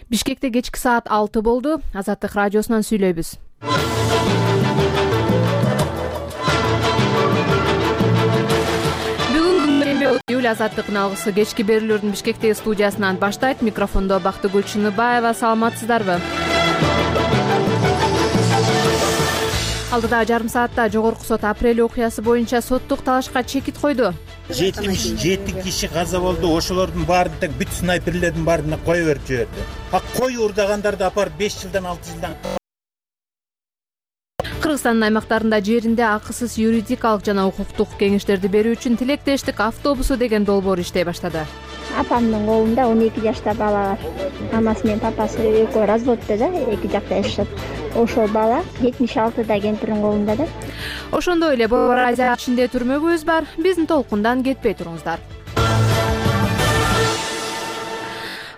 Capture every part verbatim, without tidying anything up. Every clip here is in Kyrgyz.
Бишкекте кечки саат алты болду. Азаттык радиосунан сүйлөйбүз. Бүгүн июль Азаттыктын алгысы кечки берүүлөрдүн Бишкектеги студиясынан баштайт. Микрофондо Бактыгүл Чыныбаева. Саламатсыздарбы? Алдыда жарым саатта жогорку сот апрель окуясы боюнча соттук талашка чекит койду. жетимиш жети киши каза болду. Ошолордун баарын так бүт снайперлердин баарына кое берип жиберди. А кой урдагандарды апарып беш жылдан алты жылдан. Кыргызстандын аймактарында жеринде акысыз юридикалык жана укуктук кеңештерди берүү үчүн тилектештик автобусу деген долбоор иштей баштады. Апамдын колунда он эки жашта бала бар. Амасы менен папасы экөө разводдо да, эки жакта жашашат. Ошол бала жетимиш алтыда кемпирдин колунда да. Ошондой эле Борбор Азия ичинде түрмөгүбүз бар. Биздин толкундан кетпей туруңуздар.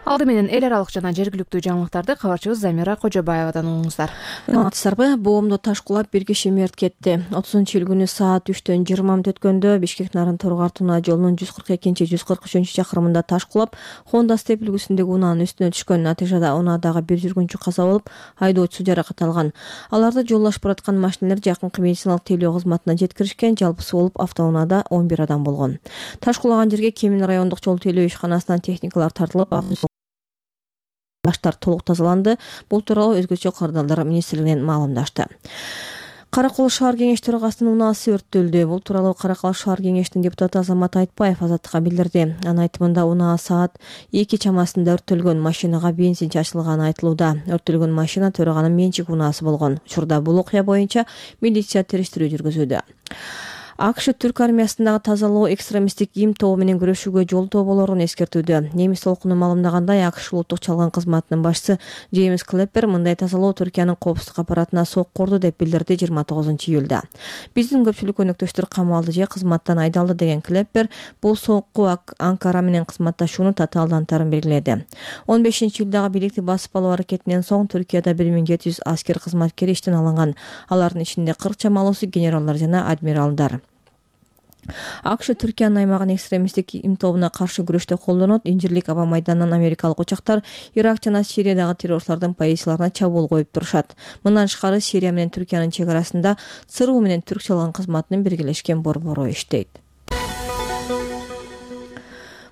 Алды менен эл аралык жана жергиликтүү жаңылыктарды кабарчыбыз Замира Кожобаевадан угуңуздар. Саламатсыздарбы? Боомдо таш кулап бир киши мерт кетти. отузунчу июль күнү саат үчтөн жыйырма мүнөт өткөндө Бишкек Нарын Торгар Тунаа жолунун жүз кырк экинчи жүз кырк үчүнчү чакырымында таш кулап, Honda Step үлгүсүндөгү унаанын үстүнө түшкөн. Натыйжада унаадагы бир жүргүнчү каза болуп, айдоочусу жаракат алган. Аларды жолдошуп бараткан машинелер жакынкы медициналык тейлөө кызматына жеткиришкен. Жалпысы болуп автоунаада он бир адам болгон. Таш кулаган жерге Кемин райондук жол тейлөө ишканасынан техникалар тартылып, баштар толук тазаланды. Бул тууралуу өзгөчө кырдаалдар министрлигинен маалымдашты. Каракол шаар кеңеш төрагасынын унаасы өрттөлдү. Бул тууралуу Каракол шаар кеңешинин депутаты Азамат Айтбаев Азаттыкка билдирди. Анын айтымында унаа саат эки чамасында өрттөлгөн. Машинага бензин чачылганы айтылууда. Өрттөлгөн машина төраганын менчик унаасы болгон. Учурда бул окуя боюнча милиция териштирүү жүргүзүүдө. АКШ Түрк армиясындагы тазалоо экстремисттик им тобу менен күрөшүүгө жолтоо болорун эскертүүдө. Немис толкуну маалымдагандай, АКШ улуттук чалган кызматынын башчысы Джеймс Клеппер мындай тазалоо Түркиянын коопсуздук аппаратына соккурду деп билдирди жыйырма тогузунчу июлда. Биздин көпчүлүк өнөктөштөр камалды же кызматтан айдалды деген Клеппер бул сокку Анкара менен кызматташууну татаалдантарын белгиледи. он бешинчи июлдагы бийликти басып алуу аракетинен соң Түркияда бир миң жети жүз аскер кызматкери иштен алынган. Алардын ичинде кырк чамалуусу генералдар жана адмиралдар. АКШ Түркиянын аймагын экстремисттик им тобуна каршы күрөштө колдонот. Инжирлик аба майданынан америкалык учактар Ирак жана Сириядагы террорчулардын позицияларына чабуул коюп турушат. Мындан тышкары Сирия менен Түркиянын чек арасында ЦРУ менен Түрк чалган кызматынын биргелешкен борбору иштейт.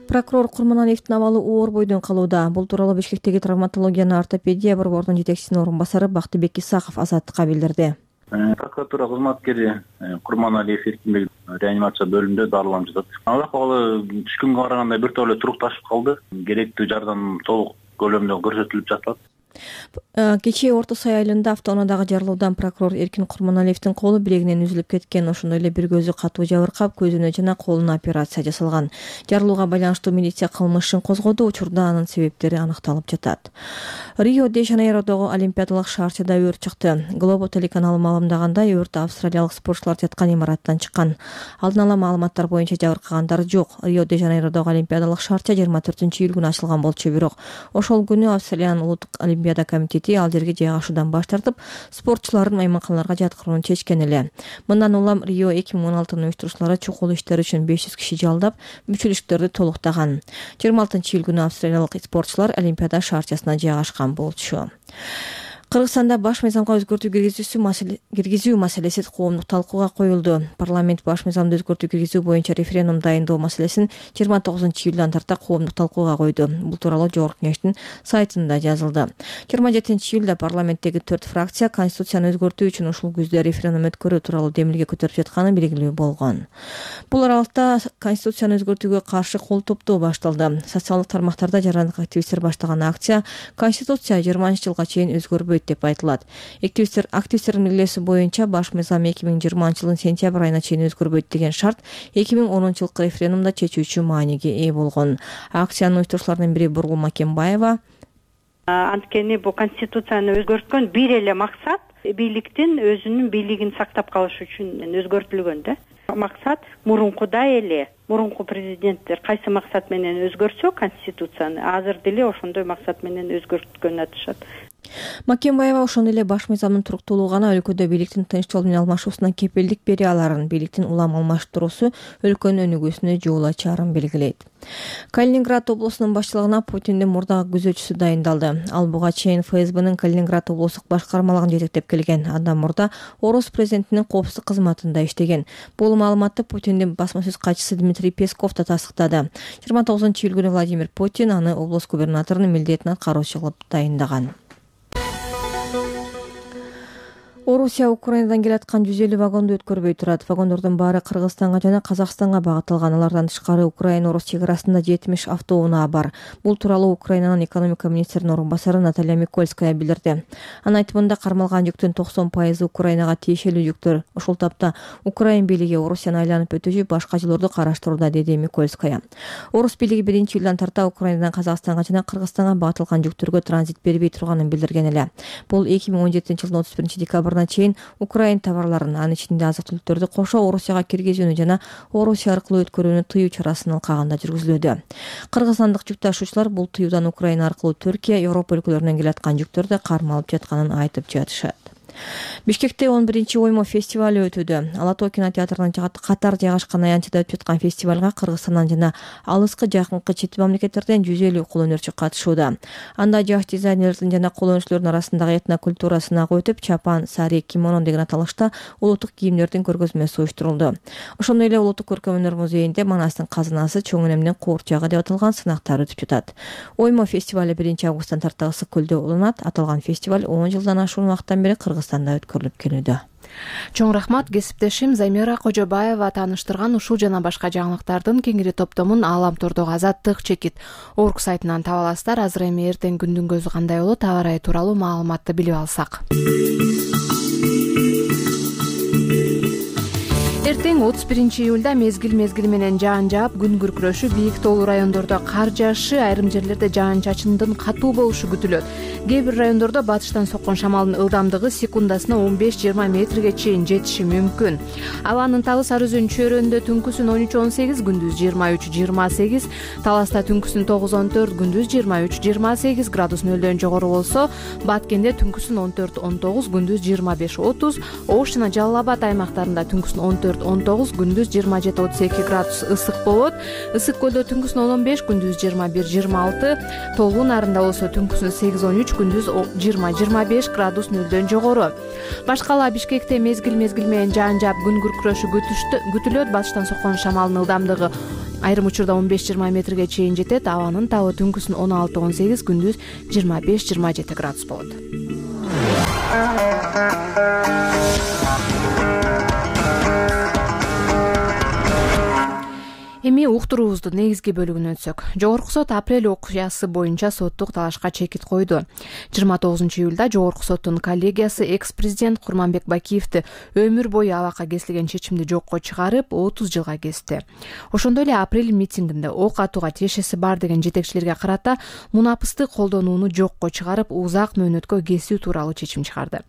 Прокурор Курманалиевдин абалы оор бойдон калууда. Бул тууралуу Бишкектеги травматология жана ортопедия борборунун жетекчисинин орун басары Бактыбек Исаков Азаттыкка билдирди. Прокуратура кызматкери Курманалиев Эркинбек реанимация бөлүмүндө дарыланып жатат. Ал акыбалы түшкөнгө караганда бир топ эле турукташып калды. Керектүү жардам толук көлөмдө көрсөтүлүп жатат. Кечээ Орто Сай айылында автоунаадагы жарылуудан прокурор Эркин Курманалиевдин колу билегинен үзүлүп кеткен. Ошондой эле бир көзү катуу жабыркап, көзүнө жана колуна операция жасалган. Жарылууга байланыштуу милиция кылмыш ишин козгоду. Учурда анын себептери аныкталып жатат. Рио-де-Жанейродогу олимпиадалык шаарчада өрт чыкты. Глобо телеканалы маалымдагандай, өрт австралиялык спортчулар жаткан имараттан чыккан. Алдын ала маалыматтар боюнча жабыркагандар жок. Рио-де-Жанейродогу олимпиадалык шаарча жыйырма төртүнчү июль күнү ачылган болчу, бирок ошол күнү Австралиянын улуттук олимпиада комитети ал жерге жайгашуудан баш тартып, спортчулардын мейманканаларга жаткырууну чечкен эле. Мындан улам Рио эки миң он алтынын уюштуруучулары чукул иштер үчүн беш жүз киши жалдап, мүчөлүктөрдү толуктаган. жыйырма алтынчы июль күнү австралиялык спортчулар олимпиада шаарчасына жайгашкан болчу. Кыргызстанда баш мыйзамга өзгөртүү киргизүү маселеси коомдук талкууга коюлду. Парламент баш мыйзамды өзгөртүү киргизүү боюнча референдум дайындоо маселесин жыйырма тогузунчу июлдан тарта коомдук талкууга койду. Бул тууралуу Жогорку кеңештин сайтында жазылды. жыйырма жетинчи июлда парламенттеги төрт фракция конституцияны өзгөртүү үчүн ушул күздө референдум өткөрүү тууралуу демилге көтөрүп жатканы белгилүү болгон. Бул аралыкта конституцияны өзгөртүүгө каршы кол топтоо башталды. Социалдык тармактарда жарандык активисттер баштаган акция конституция жыйырманчы жылга чейин өзгөрбөйт деп айтылат. Активисттер активисттердин милдеси боюнча баш мыйзам эки миң жыйырманчы жылдын сентябрь айына чейин өзгөрбөйт деген шарт эки миң онунчу жылкы референдумда чечүүчү мааниге ээ болгон. Акциянын уюштуруучуларынын бири Бургул Макенбаева. Анткени бул конституцияны өзгөрткөн бир эле максат бийликтин өзүнүн бийлигин сактап калыш үчүн өзгөртүлгөн да. Максат мурункудай эле мурунку президенттер кайсы максат менен өзгөртсө конституцияны, азыр деле ошондой максат менен өзгөрткөнүн айтышат. Макенбаева ошондой эле баш мыйзамдын туруктуулугу гана өлкөдө бийликтин тынч жол менен алмашуусуна кепилдик бере аларын, бийликтин улам алмаштыруусу өлкөнүн өнүгүүсүнө жол ачарын белгилейт. Калининград облусунун башчылыгына Путиндин мурдагы күзөтчүсү дайындалды. Ал буга чейин ФСБнын Калининград облустук башкармалыгын жетектеп келген. Андан мурда Орус президентинин коопсуздук кызматында иштеген. Бул маалыматты Путиндин басма сөз катчысы Дмитрий Песков да тастыктады. жыйырма тогузунчу июль күнү Владимир Путин аны облус губернаторунун милдетин аткаруучу кылып дайындаган. Орусия Украинадан келаткан жүз элүү вагонду өткөрбөй турат. Вагондордун баары Кыргызстанга жана Казакстанга багытталган. Алардан тышкары Украина-Орус чек арасында жетимиш автоунаа бар. Бул тууралуу Украинанын экономика министринин орун басары Наталья Микольская билдирди. Анын айтымында кармалган жүктүн токсон пайызы Украинага тиешелүү жүктөр. Ошол тапта Украин бийлиги Орусияны айланып өтүүчү башка жолдорду караштырууда, деди Микольская. Орус бийлиги биринчи июлдан тарта Украинадан Казакстанга жана Кыргызстанга багытталган жүктөргө транзит бербей турганын билдирген эле. Бул эки миң он жетинчи жылдын отуз биринчи декабрына чейин Украин товарларын, анын ичинде азык-түлүктөрдү кошо Орусияга киргизүүнү жана Орусия аркылуу өткөрүүнү тыюу чарасын алкагында жүргүзүлүүдө. Кыргызстандык жүк ташуучулар бул тыюудан Украина аркылуу Түркия, Европа өлкөлөрүнөн келаткан жүктөрдү кармалып жатканын айтып жатышат. Бишкекте он биринчи оймо фестивалы өтүүдө. Ала Тоо кинотеатрынын катар жайгашкан аянтчыда өтүп жаткан фестивалга Кыргызстандан жана алыскы жакынкы чет мамлекеттерден жүз элүү кол өнөрчү катышууда. Анда жаш дизайнерлердин жана кол өнөрчүлөрдүн арасындагы этнокультура сынагы өтүп, чапан, сари, кимоно деген аталышта улуттук кийимдердин көргөзмөсү уюштурулду. Ошондой эле Улуттук көркөм өнөр музейинде Манастын казынасы, чоң энемдин куурчагы деп аталган сынактар өтүп жатат. Оймо фестивалы биринчи августтан тарта Ысык көлдө уланат. Аталган фестиваль он жылдан ашуун убакыттан бери Кыргызстанда өткөрүлүп келүүдө. Чоң рахмат, кесиптешим Замира Кожобаева тааныштырган ушул жана башка жаңылыктардын кеңири топтомун Ааламтордогу Азаттык чекит орг сайтынан таба аласыздар. Азыр эми эртең күндүн көзү кандай болот, аба ырайы тууралуу маалыматты билип алсак. Эртең отуз биринчи июлда мезгил мезгили менен жаан жаап, күн күркүрөшү, бийик тоолуу райондордо кар жаашы, айрым жерлерде жаан-чачындын катуу болушу күтүлөт. Кээ бир райондордо батыштан соккон шамалдын ылдамдыгы секундасына он беш жыйырма метрге чейин жетиши мүмкүн. Абанын табы Сары Өзөн чөйрөсүндө түнкүсүн он үч он сегиз, күндүз жыйырма үч жыйырма сегиз, Таласта түнкүсүн тогуз он төрт, күндүз жыйырма үч жыйырма сегиз градус нөлдөн жогору болсо, Баткенде түнкүсүн он төрт он тогуз, күндүз жыйырма беш отуз, Ош жана Жалал Абад аймактарында түнкүсүн он төрт он тогуз, күндүз жыйырма жети отуз эки градус ысык болот. Ысык көлдө түнкүсүн он он беш, күндүз жыйырма бир жыйырма алты, Тоолуу Нарында болсо түнкүсүн сегиз он үч, күндүз жыйырма жыйырма беш градус нөлдөн жогору. Башкала Бишкекте мезгил мезгил менен жаан жаап, күн күркүрөшү күтүлөт. Батыштан соккон шамалдын ылдамдыгы айрым учурда он беш жыйырма метрге чейин жетет. Абанын табы түнкүсүн он алты он сегиз, күндүз жыйырма беш жыйырма жети градус болот. Эми уктуруубуздун негизги бөлүгүнө өтсөк. Жогорку сот апрель окуясы боюнча соттук талашка чекит койду. жыйырма тогузунчу июлда Жогорку соттун коллегиясы экс-президент Курманбек Бакиевди өмүр бою абакка кесилген чечимди жокко чыгарып, отуз жылга кести. Ошондой эле апрель митингинде ок атууга тиешеси бар деген жетекчилерге карата мунапысты колдонууну жокко чыгарып, узак мөөнөткө кесүү тууралуу чечим чыгарды.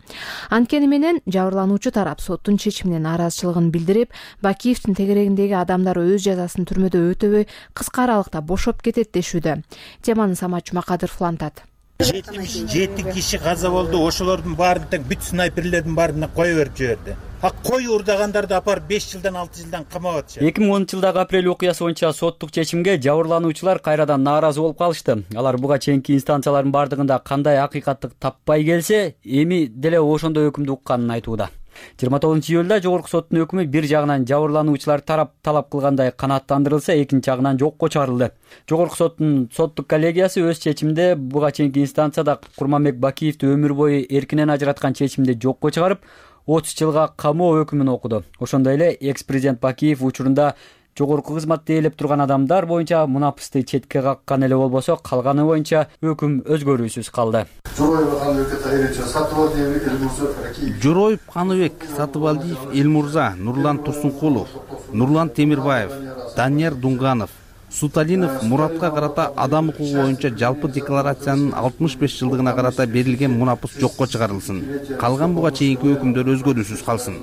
Анткени менен жабырлануучу тарап соттун чечимине нааразычылыгын билдирип, Бакиевдин тегерегиндеги адамдар өз жазасын түрмөдө өтөбөй кыска аралыкта бошоп кетет дешүүдө. Теманы Самат Жумакадыров улантат. Жети киши каза болду. Ошолордун баарын тең бүт снайперлердин баарына кое берип жиберди. А кой урдагандарды апарып беш жылдан алты жылдан камап атышат. эки миң онунчу жылдагы апрель окуясы боюнча соттук чечимге жабырлануучулар кайрадан нааразы болуп калышты. Алар буга чейинки инстанциялардын бардыгында кандай акыйкаттык таппай келсе, эми деле ошондой өкүмдү укканын айтууда. жыйырма тогузунчу июлда Жогорку соттун өкүмү бир жагынан жабырлануучулар тарап талап кылгандай канааттандырылса, экинчи жагынан жокко чыгарылды. Жогорку соттун соттук коллегиясы өз чечиминде буга чейинки инстанцияда Курманбек Бакиевди өмүр бою эркинен ажыраткан чечимди жокко чыгарып, отуз жылга камоо өкүмүн окуду. Ошондой эле экс-президент Бакиев учурунда жогорку кызматты ээлеп турган адамдар боюнча мунапысты четке каккан эле болбосо, калганы боюнча өкүм өзгөрүүсүз калды. Жороев Каныбек Сатыбалдиев Элмурза, Нурлан Турсункулов, Нурлан Темирбаев, Данияр Дунганов, Суталинов Муратка карата адам укугу боюнча жалпы декларациянын алтымыш беш жылдыгына карата берилген мунапыс жокко чыгарылсын. Калган буга чейинки өкүмдөр өзгөрүүсүз калсын.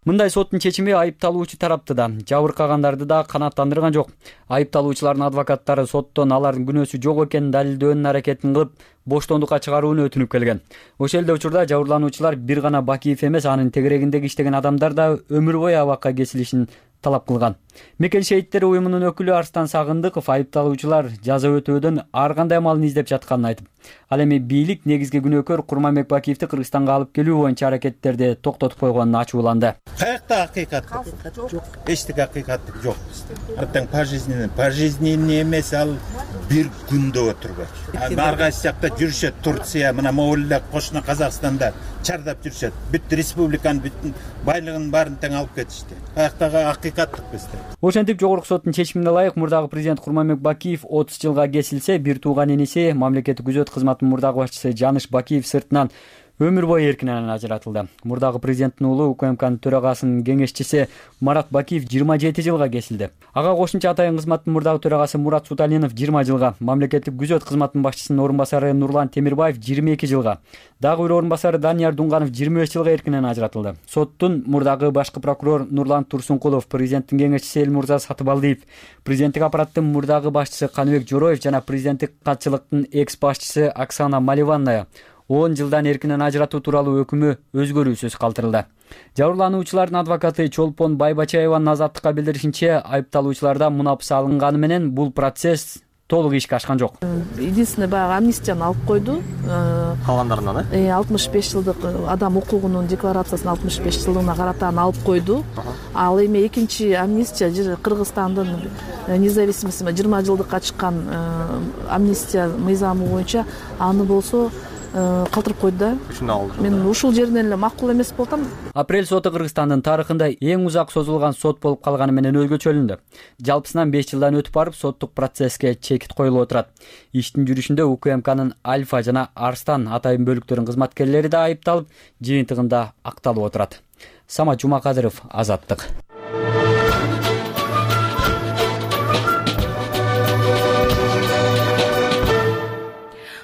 Мындай соттун чечими айыпталуучу тарапты да, жабыркагандарды да канааттандырган жок. Айыпталуучулардын адвокаттары соттон алардын күнөөсү жок экенин далилдөөнүн аракетин кылып, боштондукка чыгарууну өтүнүп келген. Ошол эле учурда жабырлануучулар бир гана Бакиев эмес, анын тегерегиндеги иштеген адамдар да өмүр бою абакка кесилишин талап кылган. Мекен шейиттери уюмунун өкүлү Арстан Сагындыков айыпталуучулар жаза өтөөдөн ар кандай амалын издеп жатканын айтып, ал эми бийлик негизги күнөөкөр Курманбек Бакиевди Кыргызстанга алып келүү боюнча аракеттерди токтотуп койгонун ачууланды. Каякта акыйкат жок. Эчтеке акыйкаттык жок бизде. Артаң пожизненный, пожизненный эмес, ал бир күндө отурбайт. Ар кайсы жакта жүрүшөт, Турция, мына Моңголдо, кошуна Казакстанда чардап жүрүшөт. Бүт республиканын бүт байлыгын баарын тең алып кетишти. Каяктагы акыйкаттык бизде. Ошентип жогорку соттун чечимине ылайык мурдагы президент Курманбек Бакиев отуз жылга кесилсе, бир тууган иниси мамлекеттик күзөт кызматынын мурдагы башчысы Жаныш Бакиев сыртынан өмүр бою эркинен ажыратылды. Мурдагы президенттин уулу УКМКнын төрагасынын кеңешчиси Марат Бакиев жыйырма жети жылга кесилди. Ага кошумча атайын кызматтын мурдагы төрагасы Мурат Суталинов жыйырма жылга, мамлекеттик күзөт кызматынын башчысынын орун басары Нурлан Темирбаев жыйырма эки жылга, дагы бир орун басары Данияр Дунганов жыйырма беш жылга эркинен ажыратылды. Соттун мурдагы башкы прокурор Нурлан Турсункулов, президенттин кеңешчиси Элмурза Сатыбалдиев, президенттик аппараттын мурдагы башчысы Каныбек Жороев жана президенттик катчылыктын экс башчысы Оксана Маливанная он жылдан эркинен ажыратуу тууралуу өкүмү өзгөрүүсүз калтырылды. Жабырлануучулардын адвокаты Чолпон Байбачаеванын азаттыкка билдиришинче, айыпталуучуларда мунапыс алынганы менен бул процесс толук ишке ашкан жок. Единственное, баягы амнистияны алып койду. Калгандарынан э? алтымыш беш жылдык адам укугунун декларациясын алтымыш беш жылдыгына карата аны алып койду. Ал эми экинчи амнистия Кыргызстандын независимости жыйырма жылдыкка чыккан амнистия мыйзамы боюнча аны болсо калтырып койду да. Мен ушул жеринен эле макул эмес болуп атам. Апрель соту Кыргызстандын тарыхында эң узак созулган сот болуп калганы менен өзгөчөлүндү. Жалпысынан беш жылдан өтүп барып, соттук процесске чекит коюлуп отурат. Иштин жүрүшүндө УКМКнын Альфа жана Арстан атайын бөлүктөрүнүн кызматкерлери да айыпталып, жыйынтыгында акталып отурат. Самат Жумакадыров, Азаттык.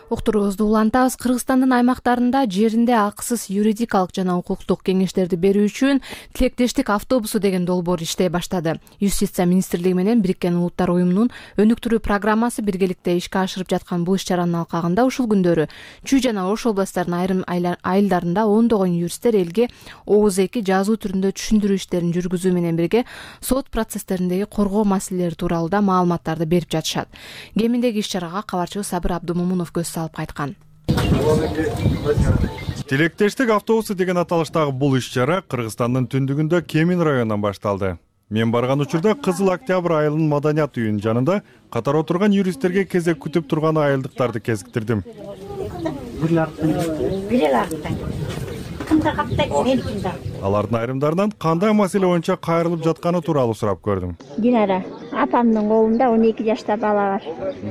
Уктуруубузду улантабыз. Кыргызстандын аймактарында жеринде акысыз юридикалык жана укуктук кеңештерди берүү үчүн тилектештик автобусу деген долбоор иштей баштады. Юстиция министрлиги менен Бириккен Улуттар уюмунун өнүктүрүү программасы биргеликте ишке ашырып жаткан бул иш-чаранын алкагында ушул күндөрү Чүй жана Ош областтарынын айрым айылдарында ондогон юристтер элге ооз эки жазуу түрүндө түшүндүрүү иштерин жүргүзүү менен бирге сот процесстериндеги коргоо маселелери тууралуу да маалыматтарды берип жатышат. Кеминдеги иш-чарага кабарчыбыз Сабыр Абдумомунов көз салып кайткан. Тилектештик автобусу деген аталыштагы бул иш-чара Кыргызстандын түндүгүндө Кемин районунан башталды. Мен барган учурда Кызыл Октябрь айылынын маданият үйүнүн жанында катар отурган юристтерге кезек күтүп турган айылдыктарды кезиктирдим. Алардын айрымдарынан кандай маселе боюнча кайрылып жатканы тууралуу сурап көрдүм. Динара апамдын колунда он эки жашта бала бар.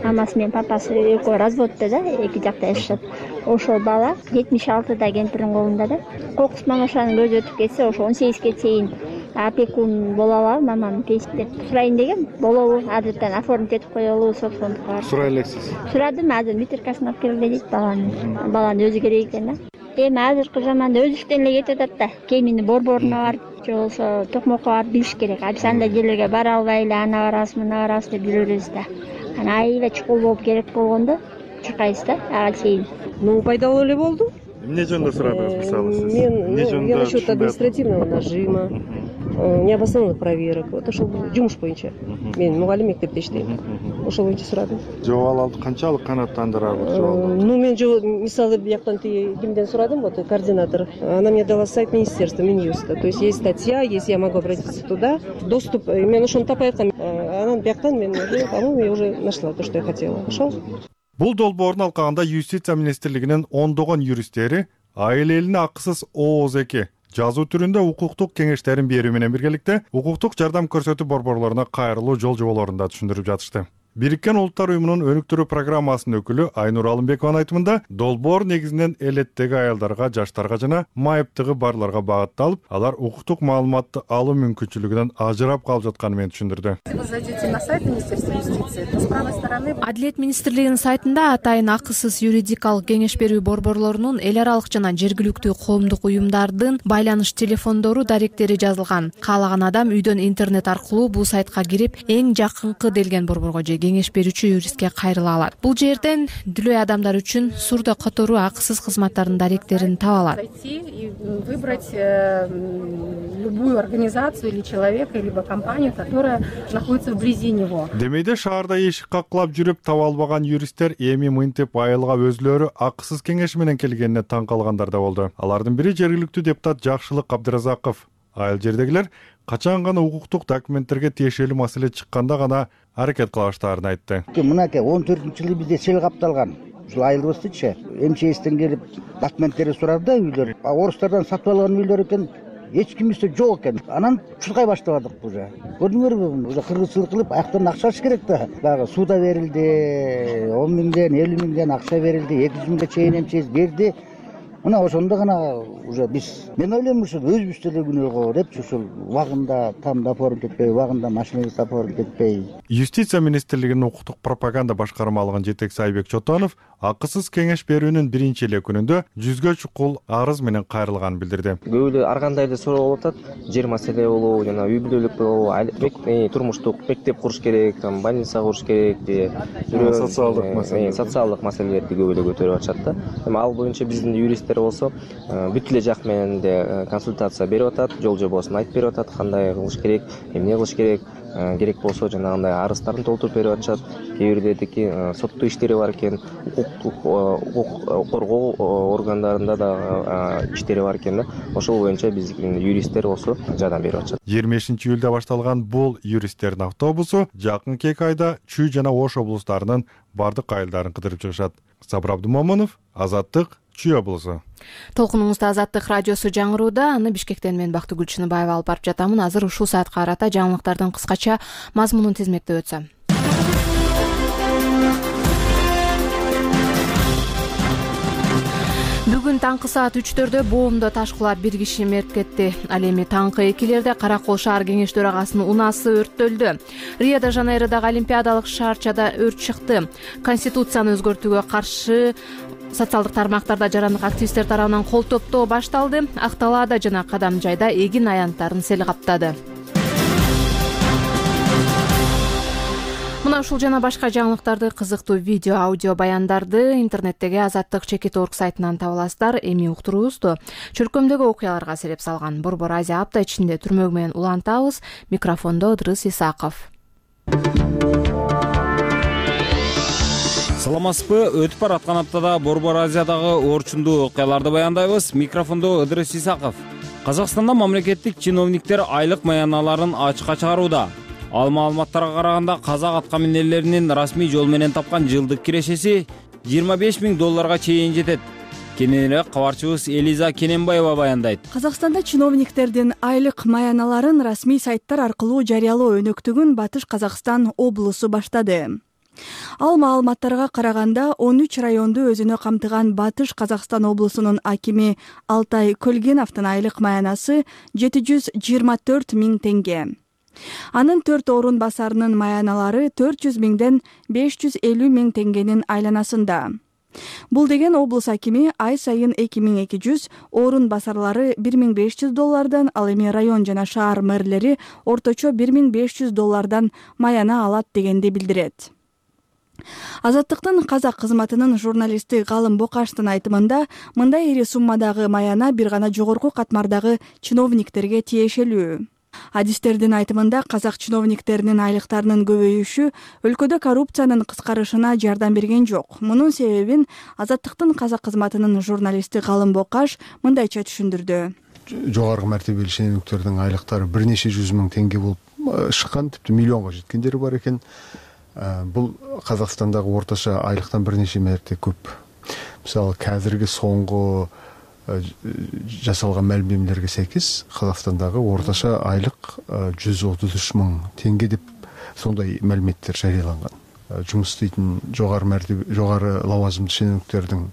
Амасы менен папасы экөө разводдо да, эки жакта жашашат. Ошол бала жетимиш алтыда кемпирдин колунда да. Кокус мамашанын көзү өтүп кетсе, ошо он сегизге чейин опекун боло алабы, мамам пейсип деп сурайын дегем. Болобу? Азыртан оформить этип коелу, собственникке. Сурай элексиз. Сурадым, азыр метрикасын алып келгиле дейт баланы. Баланын өзү керек экен да. Эми азыркы заманда өзүктөн эле кетип атат да. Кемини борборуна барып, же болбосо токмокко барып билиш керек. А биз андай жерлерге бара албай эле аны барабыз, мына барабыз деп жүрөбүз да. Ана айылда чукул болуп керек болгондо чыкайбыз да, ага чейин. Ну, пайдалуу эле болду. Эмне жөнүндө сурадыңыз, мисалы сиз? Мен я насчет административного нажима, необоснованных проверок. Вот ошол жумуш боюнча. Мен мугалим мектепте иштейм. Ошол боюнча сурадым. Жоолалды канчалык канааттандырабы жоолалды? Ну, мен мисалы бияктан кимден сурадым, вот координатор. Она мне дала сайт министерства, Минюста. То есть есть статья, если я могу обратиться туда, доступ. Мен ошону тапай аткам. Анан бияктан мен уже, по-моему, я уже нашла то, что я хотела. Ошол. Бул долбоордун алкагында Юстиция министрлигинин ондогон юристтери айыл элине акысыз ооз эки жазуу түрүндө укуктук кеңештерин берүү менен биргеликте укуктук жардам көрсөтүү борборлоруна кайрылуу жол жоболорун да түшүндүрүп жатышты. Бириккен Улуттар уюмунун өнүктүрүү программасынын өкүлү Айнур Алымбекованын айтымында, долбоор негизинен элеттеги аялдарга, жаштарга жана майыптыгы барларга багытталып, алар укуктук маалыматты алуу мүмкүнчүлүгүнөн ажырап калып жатканын менен түшүндүрдү. Вы зайдете на сайт Министерства юстиции, то с правой стороны... Адилет министрлигинин сайтында атайын акысыз юридикалык кеңеш берүү борборлорунун эл аралык жана жергиликтүү коомдук уюмдардын байланыш телефондору, даректери жазылган. Каалаган адам үйдөн интернет аркылуу бул сайтка кирип, эң жакынкы делген борборго же кеңеш берүүчү юристке кайрыла алат. Бул жерден дүлөй адамдар үчүн сурда которуу акысыз кызматтардын даректерин таба алат. Зайти и выбрать любую организацию или человека, либо компанию, которая находится вблизи него. Демейде шаарда эшик каклап жүрүп таба албаган юристтер эми мынтип айылга өзлөрү акысыз кеңеш менен келгенине таң калгандар да болду. Алардын бири жергиликтүү депутат Жакшылык Абдыразаков. Айыл жердегилер качан гана укуктук документтерге тиешелүү маселе чыкканда гана аракет кыла баштаарын айтты. Мынакей он төртүнчү жылы бизде сел капталган. Ушул айылыбыздычы МЧСтен келип документтерди сурады да үйлөр. Орустардан сатып алган үйлөр экен. Эч кимибизде жок экен. Анан чуркай баштабадык уже. Көрдүңөрбү? Уже кыргызчылык кылып аяктан акча алыш керек да. Дагы суда берилди, он миңден, элүү миңден акча берилди, эки жүз миңге чейин МЧС берди. Мына ошондо гана уже биз мен ойлойм ушул өзүбүз деле күнөөгө депчи ушул убагында тамда оформить этпей, убагында машинабызды оформить этпей. Юстиция министрлигинин укуктук пропаганда башкармалыгынын жетекчиси Айбек Чотонов акысыз кеңеш берүүнүн биринчи эле күнүндө жүзгө чукул арыз менен кайрылганын билдирди. Көп эле ар кандай эле суроо болуп атат. Жер маселе болобу, жана үй бүлөлүк болобу, турмуштук мектеп куруш керек, там больница куруш керек, же социалдык маселе, социалдык маселелерди көп эле көтөрүп атышат да. Эми ал боюнча биздин юристтер болсо бүт эле жак менен де консультация берип атат, жол жобосун айтып берип атат, кандай кылыш керек, эмне кылыш керек, керек болсо жанагындай арыздарын толтуруп берип атышат. Кээ бирдеги соттуу иштери бар экен, укук коргоо органдарында да иштери бар экен да. Ошол боюнча биздин юристтер болсо жардам берип атышат. жыйырма бешинчи июлда башталган бул юристтердин автобусу жакынкы эки айда Чүй жана Ош облустарынын бардык айылдарын кыдырып чыгышат. Сабыр Абдымомунов, Азаттык, Чүй облусу. Толкунуңузда Азаттык радиосу жаңырууда. Аны Бишкектен мен Бактыгүл Чыныбаева алып барып жатамын. Азыр ушул саатка карата жаңылыктардын кыскача мазмунун тизмектеп өтсөм. Бүгүн таңкы саат үчтөрдө боомдо таш кулап бир киши мерт кетти. Ал эми таңкы экилерде Каракол шаар кеңеш төрагасынын унасы өрттөлдү. Рио-де-Жанейродогу олимпиадалык шаарчада өрт чыкты. Конституцияны өзгөртүүгө каршы социалдык тармактарда жарандык активисттер тарабынан кол топтоо башталды. Ак Талаада жана Кадам жайда эгин аянттарын сел каптады. Мына ушул жана башка жаңылыктарды, кызыктуу видео, аудио баяндарды интернеттеги Азаттык чекит точка орг сайтынан таба аласыздар. Эми уктуруубузду чөркөмдөгү окуяларга себеп салган Борбор Азия апта ичинде түрмөгү менен улантабыз. Микрофондо Ыдрыс Исаков. Саламатсызбы? Өтүп бараткан аптада Борбор Азиядагы орчундуу окуяларды баяндайбыз. Микрофондо Ыдрыс Исаков. Казакстанда мамлекеттик чиновниктер айлык маяналарын ачыкка чыгарууда. Ал маалыматтарга караганда казак аткаминерлеринин расмий жол менен тапкан жылдык кирешеси жыйырма беш миң долларга чейин жетет. Кененирээк кабарчыбыз Элиза Кененбаева баяндайт. Казакстанда чиновниктердин айлык маяналарын расмий сайттар аркылуу жарыялоо өнөктүгүн Батыш Казакстан облусу баштады. Ал маалыматтарга караганда он үч районду өзүнө камтыган Батыш Казакстан облусунун акими Алтай Көлгеновдун айлык маянасы жети жүз жыйырма төрт миң теңге. Анын төрт орун басарынын маяналары төрт жүз миңден беш жүз элүү миң теңгенин айланасында. Бул деген облус акими ай сайын эки миң эки жүз, орун басарлары бир миң беш жүз доллардан, ал эми район жана шаар мэрлери орточо бир миң беш жүз доллардан маяна алат дегенди билдирет. Азаттыктын казак кызматынын журналисти Галым Бокаштын айтымында, мындай ири суммадагы маяна бир гана жогорку катмардагы чиновниктерге тиешелүү. Адистердин айтымында казак чиновниктеринин айлыктарынын көбөйүшү өлкөдө коррупциянын кыскарышына жардам берген жок. Мунун себебин Азаттыктын казак кызматынын журналисти Галым Бокаш мындайча түшүндүрдү. Жогорку мартебелүү шенеуниктердин айлыктары бир нече жүз миң теңге болуп чыккан, типти миллионго жеткендери бар экен. Бул Казакстандагы орточо айлыктан бир нече мерте көп. Мисалы, азыркы соңку жасалган маалиматтарга сайкес Казакстандагы орточо айлык жүз отуз үч миң теңге деп сондай маалиматтар жарыяланган. жумуш иштейтин жогары мәртебе жогары лавазымдуу шенеунүктөрдүн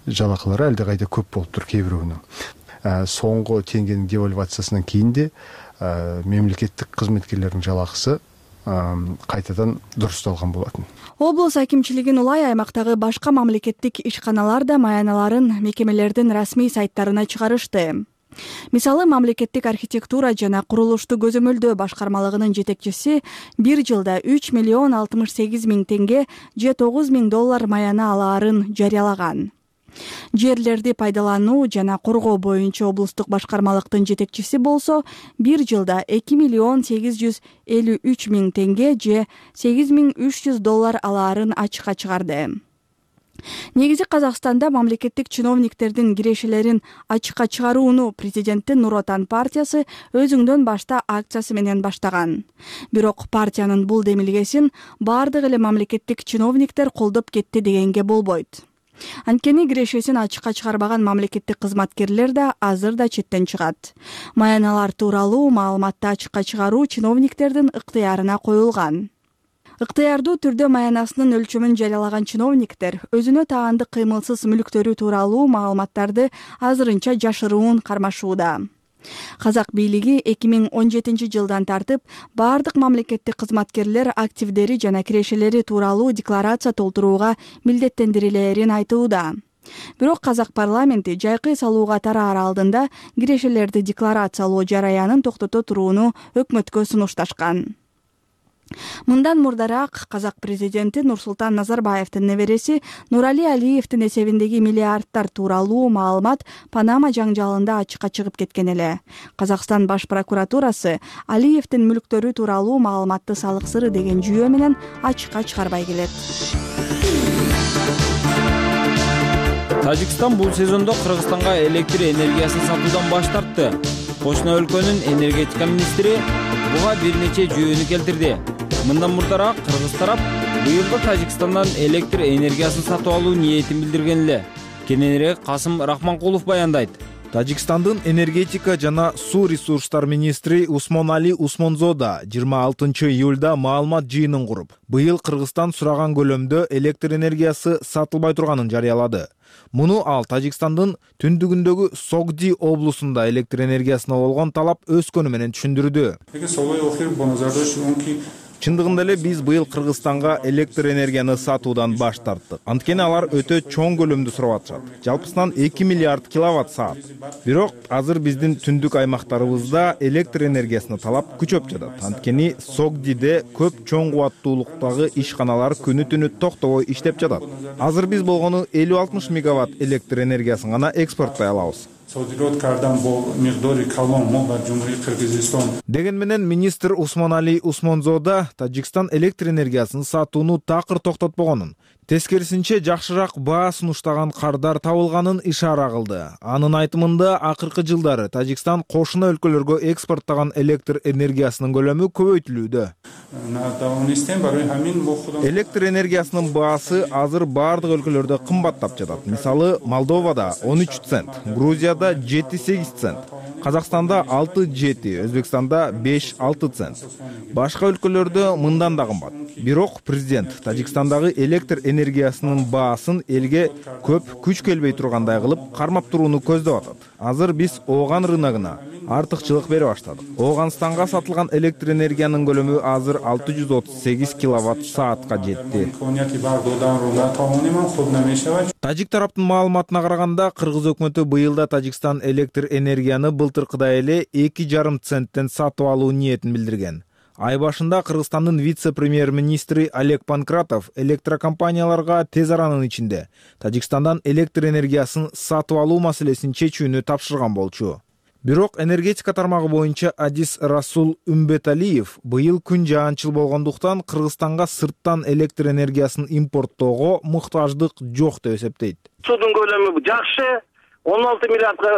жалакылары алда кайда көп болуптур кээ бирөөнүн. Соңку теңгенин девальвациясынан кийин де мемлекеттик кызметкерлердин жалакысы кайтадан дурусталган болотун. Облус акимчилигин улай аймактагы башка мамлекеттик ишканалар да маяналарын мекемелердин расмий сайттарына чыгарышты. Мисалы, мамлекеттик архитектура жана курулушту көзөмөлдөө башкармалыгынын жетекчиси бир жылда үч миллион алтымыш сегиз миң теңге же тогуз миң доллар маяна алаарын жарыялаган. Жерлерди пайдалануу жана коргоо боюнча облустук башкармалыктын жетекчиси болсо бир жылда эки миллион сегиз жүз элүү үч миң теңге же сегиз миң үч жүз доллар алаарын ачыкка чыгарды. Негизи Казакстанда мамлекеттик чиновниктердин кирешелерин ачыкка чыгарууну президенттин Нур Отан партиясы өзүңдөн башта акциясы менен баштаган. Бирок партиянын бул демилгесин бардык эле мамлекеттик чиновниктер колдоп кетти дегенге болбойт. Анткени кирешесин ачыкка чыгарбаган мамлекеттик кызматкерлер да азыр да четтен чыгат. Маяналар тууралуу маалыматты ачыкка чыгаруу чиновниктердин ыктыярына коюлган. Ыктыярдуу түрдө маянасынын өлчөмүн жарыялаган чиновниктер өзүнө таандык кыймылсыз мүлктөрү тууралуу маалыматтарды азырынча жашыруун кармашууда. Казак бийлиги эки миң он жетинчи жылдан тартып бардык мамлекеттик кызматкерлер активдери жана кирешелери тууралуу декларация толтурууга милдеттендирилээрин айтууда. Бирок Казак парламенти жайкы салууга тараар алдында кирешелерди декларациялоо жараянын токтото турууну өкмөткө сунушташкан. Мындан мурдараак Казак президенти Нурсултан Назарбаевдин небереси Нурали Алиевдин эсебиндеги миллиардтар тууралуу маалымат Панама жаңжалында ачыкка чыгып кеткен эле. Казакстан баш прокуратурасы Алиевдин мүлктөрү тууралуу маалыматты салык сыры деген жүйө менен ачыкка чыгарбай келет. Тажикстан бул сезондо Кыргызстанга электр энергиясын сатуудан баш тартты. Кошуна өлкөнүн энергетика министри буга бир нече жүйөнү келтирди. Мындан мурдараак Кыргыз тарап быйылда Тажикстандан электр энергиясын сатып алуу ниетин билдирген эле. Кененирээк Касым Рахманкулов баяндайт. Тажикстандын энергетика жана суу ресурстар министри Усмонали Усмонзода жыйырма алтынчы июлда маалымат жыйынын куруп, быйыл Кыргызстан сураган көлөмдө электр энергиясы сатылбай турганын жарыялады. Муну ал Тажикстандын түндүгүндөгү Согди облусунда электр энергиясына болгон талап өскөнү менен түшүндүрдү. Чындыгында эле биз быйыл Кыргызстанга электр энергияны сатуудан баш тарттык. Анткени алар өтө чоң көлөмдө сурап атышат. Жалпысынан эки миллиард киловатт саат. Бирок азыр биздин түндүк аймактарыбызда электр энергиясына талап күчөп жатат. Анткени Согдиде көп чоң кубаттуулуктагы ишканалар күнү түнү токтобой иштеп жатат. Азыр биз болгону элүү алтымыш мегаватт электр энергиясын гана экспорттой алабыз. Деген менен министр Усмонали Усмонзода Тажикстан электр энергиясын сатууну такыр токтотпогонун, тескерисинче жакшыраак баа сунуштаган кардар табылганын ишара кылды. Анын айтымында акыркы жылдары Тажикстан кошуна өлкөлөргө экспорттогон электр энергиясынын көлөмү көбөйтүлүүдө. Электр энергиясынын баасы азыр бардык өлкөлөрдө кымбаттап жатат. Мисалы, Молдовада он үч цент, Грузияда жети сегиз цент, Казакстанда алты жети, Өзбекстанда беш алты цент. Башка өлкөлөрдө мындан да кымбат. Бирок президент Тажикстандагы электр энергиясынын баасын элге көп күч келбей тургандай кылып кармап турууну көздөп атат. Азыр биз ооган рыногуна артыкчылык бере баштадык. Ооганстанга сатылган электр энергиянын көлөмү азыр алты жүз отуз сегиз киловатт саатка жетти. Тажик тараптын маалыматына караганда, Кыргыз өкмөтү быйылда Тажикстан электр энергияны былтыркыдай эле эки жарым центтен сатып алуу ниетин билдирген. Ай башында Кыргызстандын вице-премьер-министри Олег Панкратов электрокомпанияларга тез аранын ичинде Тажикстандан электр энергиясын сатып алуу маселесин чечүүнү тапшырган болчу. Бирок энергетика тармагы боюнча Адис Расул Үмбеталиев быйыл күн жаанчыл болгондуктан Кыргызстанга сырттан электр энергиясын импорттоого муктаждык жок деп эсептейт. Судун көлөмү жакшы, он алты миллиардга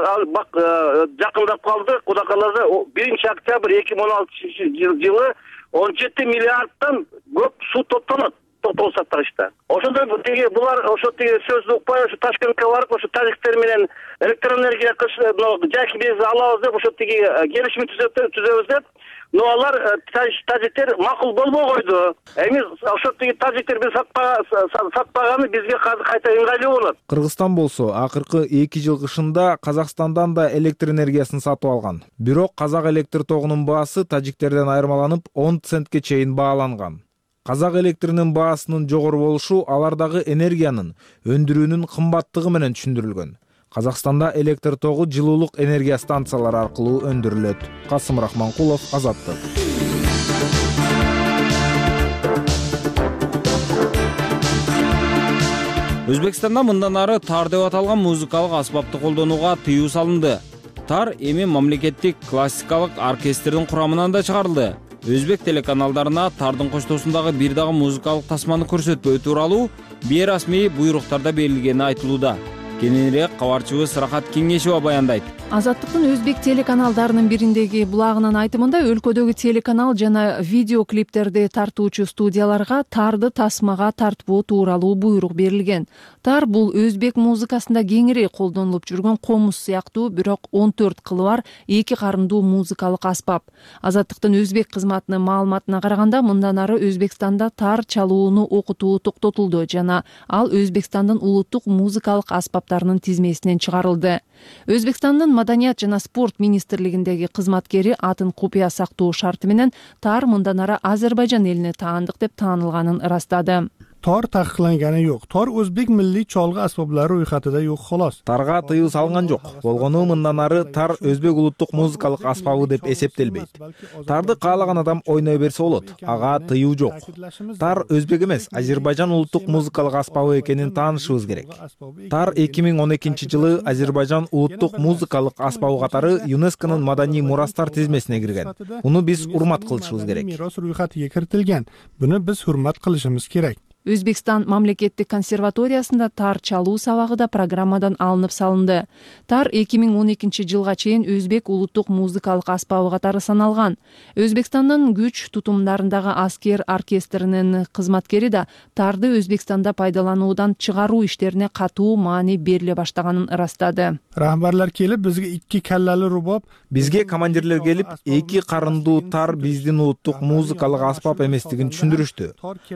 жакындап калды. Кудай кааласа биринчи октябрь эки миң он алтынчы жылы он жети миллиарддан көп суу топтонот. токтолушат дагычта. Ошондо тиги булар ошо тиги сөздү укпай ошо Ташкентке барып ошо тажиктер менен электроэнергия жайкы биз алабыз деп ошо тиги келишим түзөбүз деп, но алар тажиктер макул болбой койду. Эми ошо тиги тажиктер биз сатпаганы бизге кайта ыңгайлуу болот. Кыргызстан болсо акыркы эки жыл кышында Казакстандан да электр энергиясын сатып алган. Бирок Казак электр тогунун баасы тажиктерден айырмаланып он центке чейин бааланган. Казак электринин баасынын жогору болушу алардагы энергиянын өндүрүүнүн кымбаттыгы менен түшүндүрүлгөн. Казакстанда электр тогу жылуулук энергия станциялары аркылуу өндүрүлөт. Касым Рахманкулов, Азаттык. Өзбекстанда мындан ары тар деп аталган музыкалык аспапты колдонууга тыюу салынды. Тар эми мамлекеттик классикалык оркестрдин курамынан да чыгарылды. Өзбек телеканалдарына тардын коштоосундагы бир дагы музыкалык тасманы көрсөтпөө тууралуу бейрасмий буйруктарда берилгени айтылууда. Кененирээк кабарчыбыз Рахат Кеңешева баяндайт. Азаттыктын өзбек телеканалдарынын бириндеги булагынын айтымында өлкөдөгү телеканал жана видео клиптерди тартуучу студияларга тарды тасмага тартпоо тууралуу буйрук берилген. Тар бул өзбек музыкасында кеңири колдонулуп жүргөн комуз сыяктуу, бирок он төрт кылы бар эки карындуу музыкалык аспап. Азаттыктын өзбек кызматынын маалыматына караганда, мындан ары Өзбекстанда тар чалууну окутуу токтотулду жана ал Өзбекстандын улуттук музыкалык аспаптарынын тизмесинен чыгарылды. Өзбекстандын Маданият жана спорт министрлигиндеги кызматкери атын купуя сактоо шарты менен тар мындан ары Азербайжан элине таандык деп таанылганын ырастады. Tor taqiqlangani yo'q. Tor o'zbek milliy cholg'i asboblari ro'yxatida yo'q, xolos. Targa тыюу салынган жок. Болгону мындан ары тар өзбек улуттук музыкалык аспабы деп эсептелбейт. Тарды каалаган адам ойной берсе болот. Ага тыюу жок. Тар өзбек эмес, Азербайжан улуттук музыкалык аспабы экенин таанышыбыз керек. Тар эки миң он экинчи жылы Азербайжан улуттук музыкалык аспабы катары ЮНЕСКОнун маданий мурастар тизмесине кирген. Муну биз урмат кылышыбыз керек. Мирос ro'yxatiga kiritilgan. Buni biz hurmat qilishimiz kerak. Өзбекстан мамлекеттик консерваториясында тар чалуу сабагы да программадан алынып салынды. Тар эки миң он экинчи жылга чейин өзбек улуттук музыкалык аспабы катары саналган. Өзбекстандын күч тутумдарындагы аскер оркестринин кызматкери да тарды Өзбекстанда пайдалануудан чыгаруу иштерине катуу маани бериле баштаганын ырастады. Rahbarlar kelib bizga ikki kallali rubob, бизге командирлер келип, эки карындуу тар биздин улуттук музыкалык аспап эместигин түшүндүрүштү.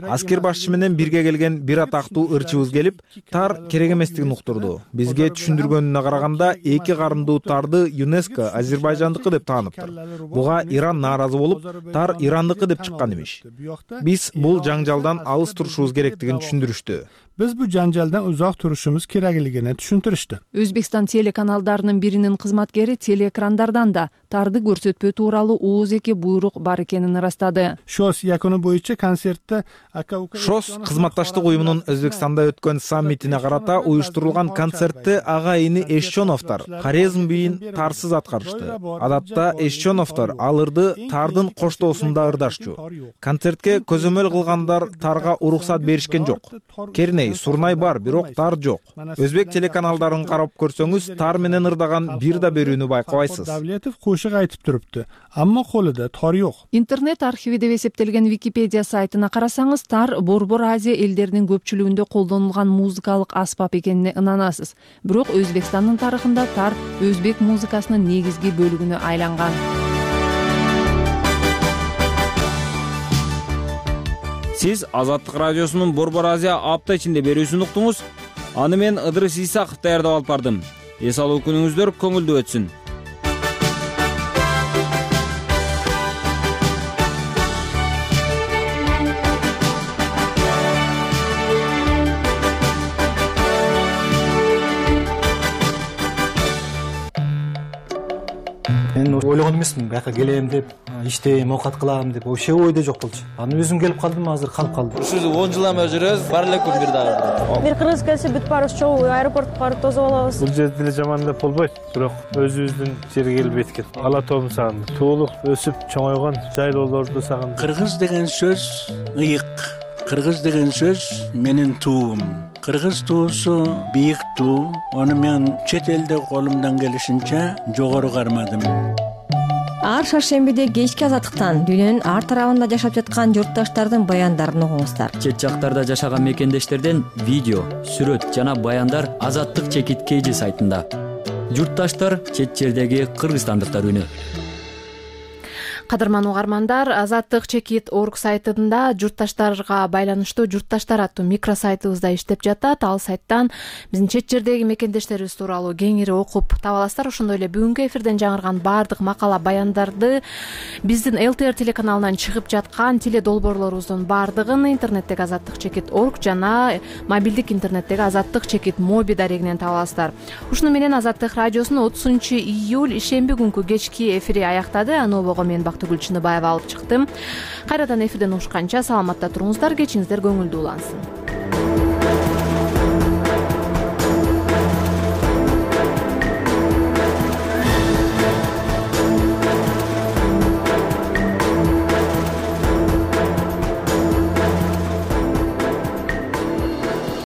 Аскер башчы менен бирге келген бир атактуу ырчыбыз келип, тар керек эместигин уктурду. Бизге түшүндүргөнүнө караганда, эки карындуу тарды ЮНЕСКО Азербайжандыкы деп тааныптыр. Буга Иран нааразы болуп, тар Ирандыкы деп чыккан имиш. Биз бул жаңжалдан алыс турушубуз керектигин түшүндүрүштү. Biz bu janjaldan uzoq turishimiz kerakligini tushuntirishdi. Өзбекстан телеканалдарынын биринин кызматкери телеэкрандардан да тарды көрсөтпөө тууралуу ооз-эки буйрук бар экенин ырастады. Шос якуну боюнча концертте Шос кызматташтык уюмунун Өзбекстанда өткөн саммитине карата уюштурулган концертте ага ини Эшчоновдор хорезм бийин тарсыз аткарышты. Адатта Эшчоновдор алырды тардын коштоосунда ырдашчу. Концертке көзөмөл кылгандар тарга уруксат беришкен жок. Керней Сурнай бар, бирок тар жок. Өзбек телеканалдарын карап көрсөңүз, тар менен ырдаган бир да берүүнү байкабайсыз. Давлетов кошук айтып турупты, аммо колуда тар жок. Интернет архиви деп эсептелген Википедия сайтына карасаңыз, тар Борбор Азия элдеринин көпчүлүгүндө колдонулган музыкалык аспап экенине ынанасыз. Бирок Өзбекстандын тарыхында тар өзбек музыкасынын негизги бөлүгүнө айланган. Сиз Азаттык радиосунун Борбор Азия апта ичинде берүүсүн уктуңуз. Аны мен Ыдырыс Исаков даярдап алып бардым. Эс алуу күнүңүздөр көңүлдүү өтсүн. Мен ойлогон эмесмин, бияка келем деп, иштейм, оокат кылам деп, вообще ойдо жок болчу. Аны өзүм келип калдым, азыр калып калдым. Ушул он жыл эме жүрөбүз, бар эле күн бир дагы. Бир кыргыз келсе бүт баарыбыз чогуу аэропортко барып тосуп алабыз. Бул жерде деле жаман деп болбойт, бирок өзүбүздүн жерге келип эткен. Ала тоом сагынды. Туулуп, өсүп, чоңойгон жайлоолорду сагынды. Кыргыз деген сөз ыйык. Кыргыз деген сөз менин туум. Кыргыз туусу бийик туу. Аны мен чет элде колумдан келишинче жогору кармадым. ар шаршембиде кечки азаттыктан дүйнөнүн ар тарабында жашап жаткан журтташтардын баяндарын угуңуздар. Чет жактарда жашаган мекендештерден видео, сүрөт жана баяндар Азаттык чекит kg сайтында. Журтташтар чет жердеги кыргызстандыктар үнү. Кадырман угармандар, Азаттык чекит орг сайтында журтташтарга байланыштуу журтташтар аттуу микросайтыбызда иштеп жатат. Ал сайттан биздин чет жердеги мекендештерибиз тууралуу кеңири окуп таба аласыздар. Ошондой эле бүгүнкү эфирден жаңырган баардык макала баяндарды биздин эл тэ эр телеканалынан чыгып жаткан теле долбоорлорубуздун баардыгын интернеттеги Азаттык чекит орг жана мобилдик интернеттеги Азаттык чекит моби дарегинен таба аласыздар. Ушуну менен Азаттык радиосунун отузунчу июль ишемби күнкү кечки эфири аяктады. Анобого мен Бактыгүл Чыныбаева алып чыктым. Кайрадан эфирден угушканча саламатта туруңуздар, кечиңиздер көңүлдүү улансын.